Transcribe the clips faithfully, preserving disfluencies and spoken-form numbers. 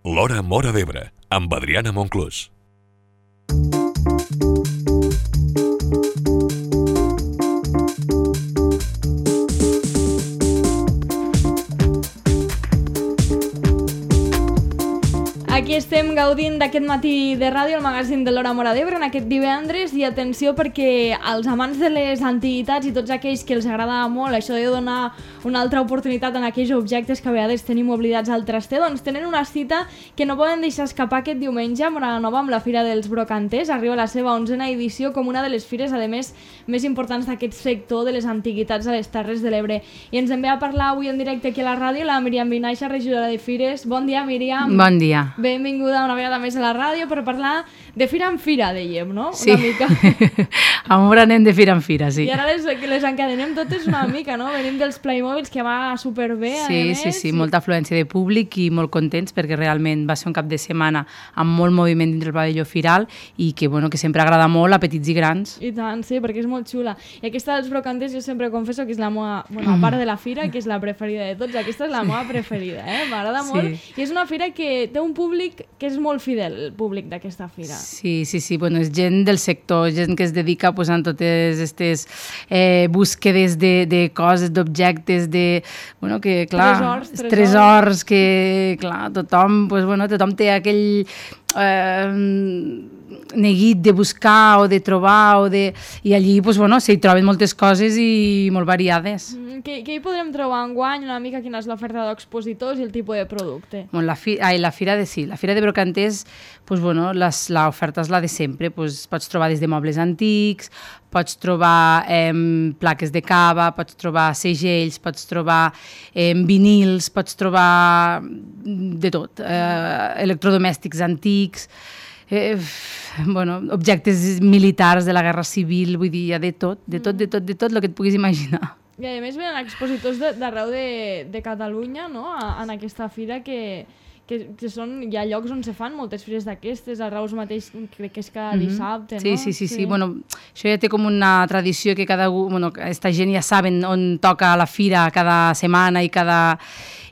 L'Hora Móra d'Ebre, amb Adriana Monclús. Aquí estem gaudint d'aquest matí de ràdio, el magazín de l'Hora Móra d'Ebre, en aquest divendres, i atenció perquè els amants de les antiguitats i tots aquells que els agrada molt això de donar una altra oportunitat en aquells objectes que a vegades tenim oblidats al traster, doncs tenen una cita que no poden deixar escapar aquest diumenge a Moraganova amb la Fira dels Brocanters. Arriba la seva onzena edició com una de les fires, a més, més importants d'aquest sector de les antiguitats a les Terres de l'Ebre. I ens en ve a parlar avui en directe aquí a la ràdio la Míriam Vinaixa, regidora de Fires. Bon dia, Míriam. Bon dia. Benvinguda una vegada més a la ràdio per parlar de fira en fira, dèiem, no? Sí, una mica. Amor, anem de fira en fira, sí. I ara les, les encadenem totes una mica, no? Venim dels Playmobils, que va superbé, sí, a més. Sí, sí, molta afluència de públic i molt contents perquè realment va ser un cap de setmana amb molt moviment dintre el pavelló firal i que, bueno, que sempre agrada molt a petits i grans. I tant, sí, perquè és molt xula. I aquesta dels Brocanters jo sempre confesso que és la meva, bueno, a part de la fira, que és la preferida de tots. Aquesta és la meva preferida, eh? M'agrada sí. molt. I és una fira que té un públic que és molt fidel, el públic d'aquesta fira. Sí, sí, sí, bueno, és gent del sector, gent que es dedica a posar totes aquestes eh, búsquedes de, de coses, d'objectes, de, bueno, que, clar, tresors, tresors. tresors que, clar, tothom, pues, bueno, tothom té aquell eh, neguit de buscar o de trobar, o de... i allí, pues, bueno, s'hi troben moltes coses i molt variades. Mm, què, què hi podrem trobar enguany? Una mica quina és l'oferta d'expositors i el tipus de producte? Bueno, la, fi, ai, la fira de sí, la fira de Brocanters, pues, bueno, l'oferta és la de sempre, pues, pots trobar des de mobles antics, pots trobar eh, plaques de cava, pots trobar segells, pots trobar eh, vinils, pots trobar de tot, eh, electrodomèstics antics, eh, bueno, objectes militars de la Guerra Civil, vull dir, hi ha de tot, de tot, de tot, de tot, el que et puguis imaginar. I a més venen expositors d'arreu de, de Catalunya, no?, en aquesta fira que... Que, que són, hi ha llocs on se fan moltes fires d'aquestes, a Reus mateix crec que és cada dissabte, sí, no? Sí, sí, sí, sí. Bueno, això ja té com una tradició que cada... Bueno, aquesta gent ja saben on toca la fira cada setmana i cada,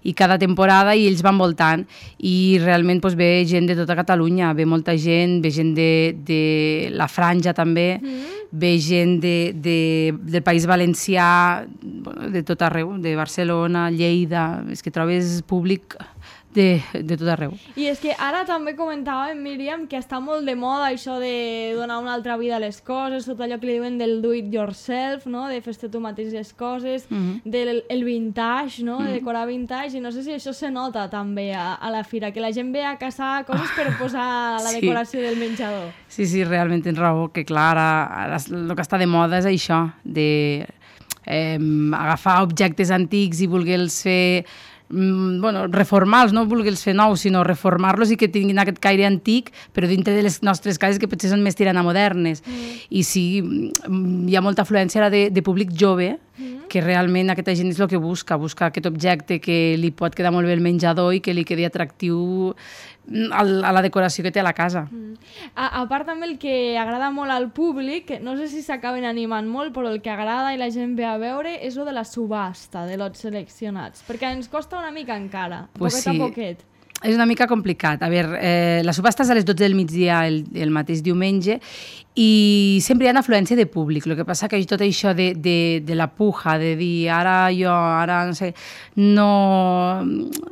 i cada temporada i ells van voltant i realment doncs, ve gent de tota Catalunya, ve molta gent, ve gent de, de la Franja també, mm. ve gent de, de, del País Valencià, bueno, de tot arreu, de Barcelona, Lleida, és que trobes públic... De, de tot arreu. I és que ara també comentàvem, Míriam, que està molt de moda això de donar una altra vida a les coses, tot allò que li diuen del do it yourself, no? De fer-te tu mateix les coses, mm-hmm. del el vintage, no? Mm-hmm. De decorar vintage, i no sé si això se nota també a, a la fira, que la gent ve a caçar coses per posar la sí. decoració del menjador. Sí, sí, realment tens raó, que clar, ara, ara el que està de moda és això, de eh, agafar objectes antics i voler-los fer... bueno, reformar-los, no voler-los fer nous, sinó reformar-los i que tinguin aquest caire antic, però dintre de les nostres cases que potser són més tirant a modernes. Mm. I sí, hi ha molta afluència ara de, de públic jove, mm. que realment aquesta gent és el que busca, busca aquest objecte que li pot quedar molt bé el menjador i que li quedi atractiu a la decoració que té a la casa. Mm. A, a part també el que agrada molt al públic, no sé si s'acaben animant molt, però el que agrada i la gent ve a veure és el de la subhasta de lots seleccionats, perquè ens costa una mica encara, pues poquet sí. a poquet. És una mica complicat. A veure, eh, la subhasta és a les dotze del migdia el, el mateix diumenge i sempre hi ha afluència de públic. El que passa que tot això de, de, de la puja, de dir ara jo, ara no sé... No,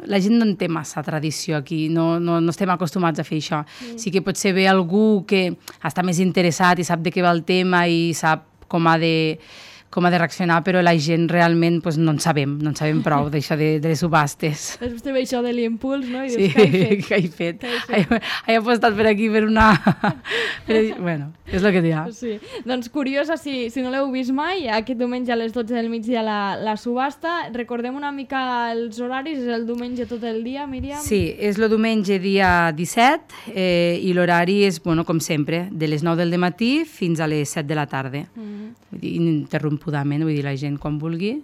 la gent no en té massa tradició aquí, no, no, no estem acostumats a fer això. Mm. Sí que potser ve algú que està més interessat i sap de què va el tema i sap com ha de... com ha de reaccionar, però la gent realment pues, no en sabem, no en sabem prou d'això de, de les subhastes. Després te ve això de l'impuls, no? I sí, dius, què he fet? Què he fet? He, he apostat per aquí per una... però, bueno, és el que hi ha. Sí. Doncs curiosa, si, si no l'heu vist mai, aquest diumenge a les dotze del migdia la, la subhasta. Recordem una mica els horaris, és el diumenge tot el dia, Míriam? Sí, és el diumenge dia disset eh, i l'horari és, bueno, com sempre, de les nou del matí fins a les set de la tarda. Mm. Vull dir, ininterrompudament, vull dir, la gent quan vulgui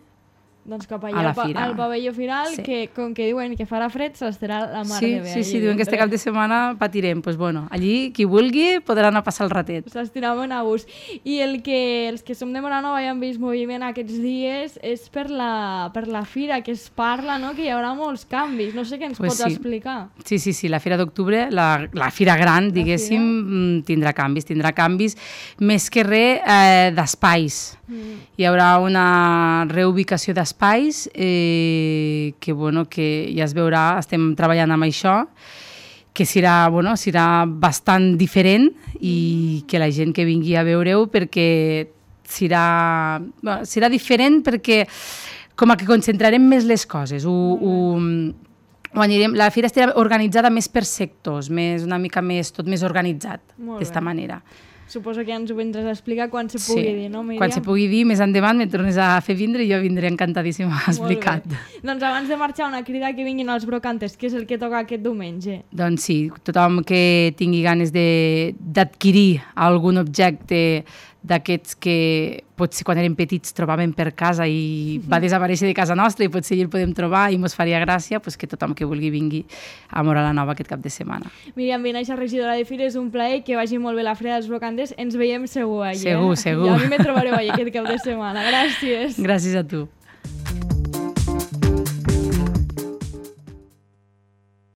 Doncs cap a allà, la al, pa- fira. al pavelló final, Sí. que com que diuen que farà fred, s'estarà la mar Sí, de bé. sí, sí, diuen que este cap de setmana patirem. Pues bueno, allí, qui vulgui, podrà anar a passar el ratet. S'estirava a gust. I el que, els que som de Moranova i hem vist moviment aquests dies és per la, per la fira, que es parla, no?, que hi haurà molts canvis. No sé què ens Pues pots sí. explicar. Sí, sí, sí, la Fira d'Octubre, la, la Fira Gran, diguéssim, mm, tindrà canvis, tindrà canvis, més que res eh, d'espais. Mm. Hi haurà una reubicació d'espais eh, que, bueno, que ja es veurà, estem treballant amb això, que serà, bueno, serà bastant diferent i que la gent que vingui a veure-ho perquè serà, bueno, serà diferent perquè com a que concentrarem més les coses. Ho, ho, ho anirem, la fira estarà organitzada més per sectors, més, una mica més, tot més organitzat, Molt d'esta bé. manera. Suposo que ja ens ho vindràs a explicar quan se pugui dir, no, Míriam? Quan se pugui dir, més endavant, me tornes a fer vindre i jo vindré encantadíssima a explicar. Doncs abans de marxar, una crida que vinguin els brocantes, que és el que toca aquest diumenge. Doncs sí, tothom que tingui ganes de- d'adquirir algun objecte d'aquests que potser quan érem petits trobàvem per casa i va desaparèixer de casa nostra i potser hi el podem trobar i mos faria gràcia, doncs que tothom que vulgui vingui a Móra la Nova aquest cap de setmana. Míriam Vinaixa, regidora de Fira, és un plaer, que vagi molt bé la Fira dels Brocantes. Ens veiem segur allà. Segur, segur. I a mi me trobareu allà aquest cap de setmana. Gràcies. Gràcies a tu.